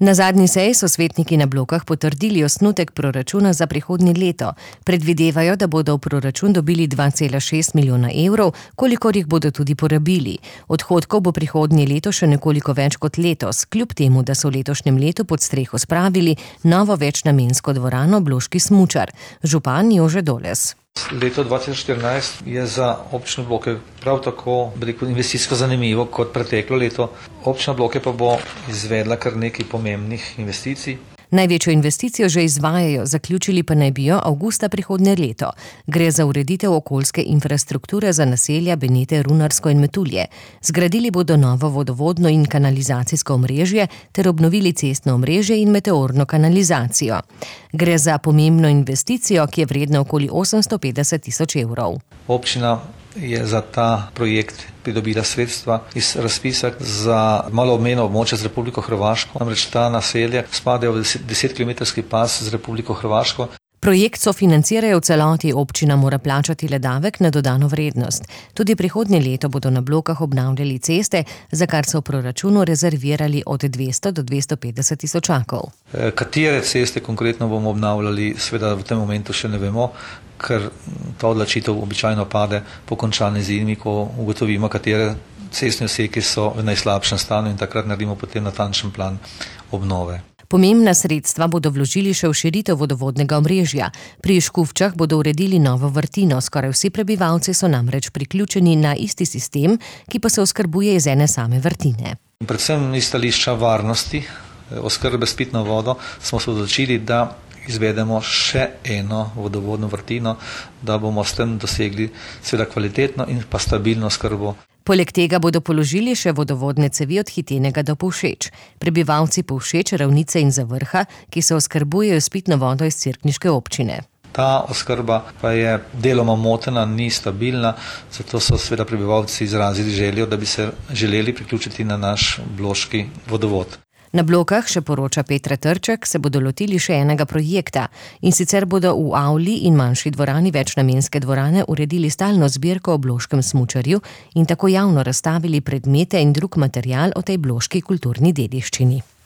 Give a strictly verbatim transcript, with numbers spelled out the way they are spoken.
Na zadnji seji so svetniki na Blokah potrdili osnutek proračuna za prihodnje leto. Predvidevajo, da bodo v proračun dobili dva cela šest milijona evrov, kolikor jih bodo tudi porabili. Odhodkov bo prihodnje leto še nekoliko več kot letos, kljub temu, da so v letošnjem letu pod streho spravili novo večnamensko dvorano Bloški smučar. Župan Jože Doles. Leto dva tisoč štirinajst je za občino Bloke prav tako investicijsko zanimivo kot preteklo leto. Občina Bloke pa bo izvedla kar nekaj pomembnih investicij. Največjo investicijo že izvajajo, zaključili pa naj bi jo avgusta prihodnje leto. Gre za ureditev okoljske infrastrukture za naselja Benete, Runarsko in Metulje. Zgradili bodo novo vodovodno in kanalizacijsko omrežje ter obnovili cestno omrežje in meteorno kanalizacijo. Gre za pomembno investicijo, ki je vredna okoli osemsto petdeset tisoč evrov. Občina je za ta projekt pridobila sredstva iz razpisa za malo obmejno območje z Republiko Hrvaško. Namreč ta naselja spadajo v desetkilometrski pas z Republiko Hrvaško. Projekt sofinancirajo v celoti, občina mora plačati le davek na dodano vrednost. Tudi prihodnje leto bodo na Blokah obnavljali ceste, za kar so v proračunu rezervirali od dvesto do dvesto petdeset tisočakov. Katere ceste konkretno bomo obnavljali, seveda v tem momentu še ne vemo, ker ta odločitev običajno pade po končani zimi, ko ugotovimo, katere cestne oseke so v najslabšem stanju in takrat naredimo potem natančen plan obnove. Pomembna sredstva bodo vložili še v širitev vodovodnega omrežja. Pri Škufčah bodo uredili novo vrtino, skoraj vsi prebivalci so namreč priključeni na isti sistem, ki pa se oskrbuje iz ene same vrtine. Predvsem iz stališča varnosti, oskrbe s pitno vodo, smo se odločili, da izvedemo še eno vodovodno vrtino, da bomo s tem dosegli seveda kvalitetno in pa stabilno oskrbo. Poleg tega bodo položili še vodovodne cevi od Hitenega do Povšeč. Prebivalci Povšeč, Ravnice in Zavrha, ki se oskrbujejo s pitno vodo iz cerkniške občine. Ta oskrba pa je deloma motena, ni stabilna, zato so seveda prebivalci izrazili željo, da bi se želeli priključiti na naš bloški vodovod. Na Blokah, še poroča Petra Trček, se bodo lotili še enega projekta, in sicer bodo v avli in manjši dvorani večnamenske dvorane uredili stalno zbirko o bloškem smučarju in tako javno razstavili predmete in drug material o tej bloški kulturni dediščini.